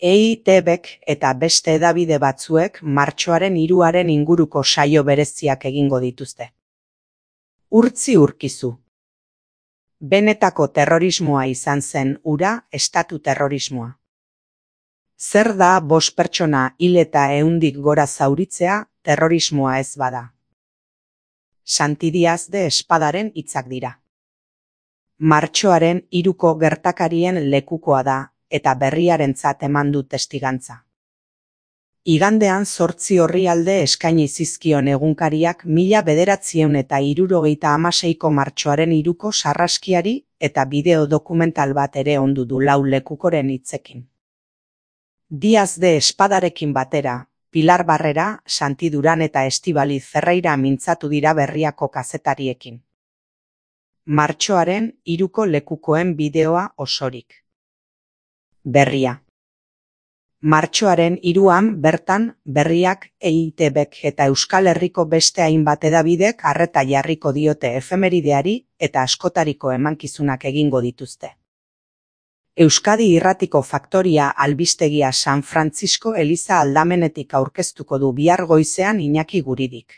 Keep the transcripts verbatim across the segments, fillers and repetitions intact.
E I Te Bek eta beste hedabide batzuek martxoaren hiruaren inguruko saio bereziak egingo dituzte. Urtzi urkizu. Benetako terrorismoa izan zen hura estatu terrorismoa. Zer da bost pertsona hil eta ehundik gora zauritzea terrorismoa ez bada? Santi Díaz de Espadaren hitzak dira. Martxoaren hiruko gertakarien lekukoa da eta berriarentzat eman du testigantza. Igandean zortzi orrialde eskaini zizkion egunkariak mila bederatziehun eta hirurogeita hamaseiko martxoaren hiruko sarraskiari eta bideo dokumental bat ere ondu du lau lekukoren hitzekin. Díaz de Espadarekin batera, Pilar Barrera, Santi Duran eta Estibaliz Ferreira mintzatu dira Berriako kazetariekin. Martxoaren hiruko lekukoen bideoa osorik. Berria. Martxoaren hiruan bertan Berriak, E I Te Bek eta Euskal Herriko beste hainbat hedabidek arreta jarriko diote efemerideari eta askotariko emankizunak egingo dituzte. Euskadi Irratiko Faktoria albistegia San Francisco Eliza aldamenetik aurkeztuko du bihar goizean Iñaki Guridik.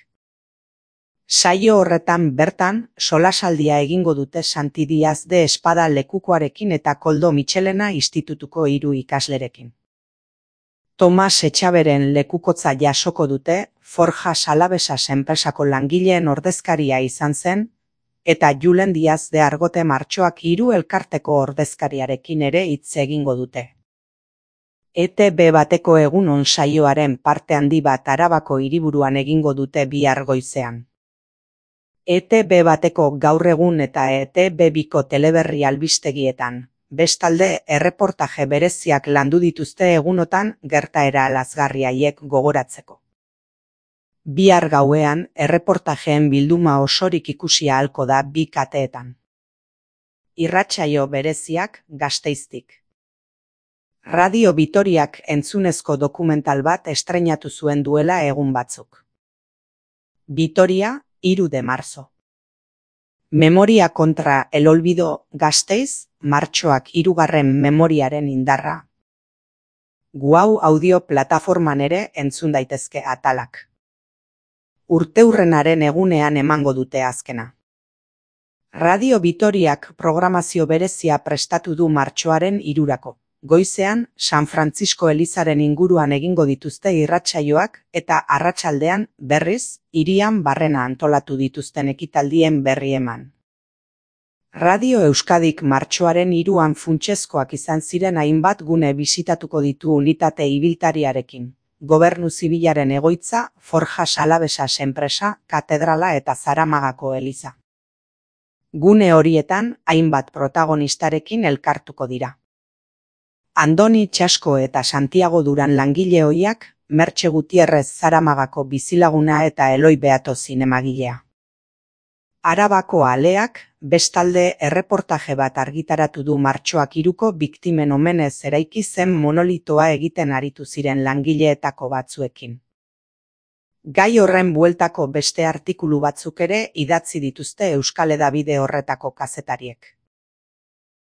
Saio horretan bertan solasaldia egingo dute Santi Díaz de Espada lekukoarekin eta Koldo Mitxelena institutuko hiru ikaslerekin. Tomas Etxaberen lekukotza jasoko dute Forjas Alavesas enpresako langileen ordezkaria izan zen, eta Julen Díaz de Argote Martxoak hiru elkarteko ordezkariarekin ere hitz egingo dute. E Te Be bateko egunon saioaren parte handi bat Arabako hiriburuan egingo dute bihar goizean. E Te Be bateko gaur egun eta E Te Be biko teleberri albistegietan. Bestalde, erreportaje bereziak landu dituzte egunotan gertaera lazgarri haiek gogoratzeko. Bihar gauean, erreportajeen bilduma osorik ikusi ahalko da bi kateetan. Irratsaio bereziak Gasteiztik. Radio Vitoriak entzunezko dokumental bat estreinatu zuen duela egun batzuk. Vitoria, hiru de marzo. Memoria kontra el olvido Gasteiz, martxoak hirugarren memoriaren indarra. Guau audio plataforman ere entzun daitezke atalak. Urteurrenaren egunean emango dute azkena. Radio Vitoriak programazio berezia prestatu du martxoaren hirurako. Goizean, San Francisco Elizaren inguruan egingo dituzte irratsaioak eta arratsaldean, berriz, hirian barrena antolatu dituzten ekitaldien berri eman. Radio Euskadik martxoaren hiruan funtsezkoak izan ziren hainbat gune bisitatuko ditu unitate ibiltariarekin. Gobernu zibilaren egoitza, Forjas Alavesas enpresa, katedrala eta Zaramagako eliza. Gune horietan, hainbat protagonistarekin elkartuko dira. Andoni Txasko eta Santiago Duran langile ohiak, Mertxe Gutierrez Zaramagako bizilaguna eta Eloi Beato zinemagilea. Arabako aleak, bestalde erreportaje bat argitaratu du martxoak hiruko biktimen omenez eraiki zen monolitoa egiten aritu ziren langileetako batzuekin. Gai horren bueltako beste artikulu batzuk ere idatzi dituzte Euskal Hedabide horretako kazetariek.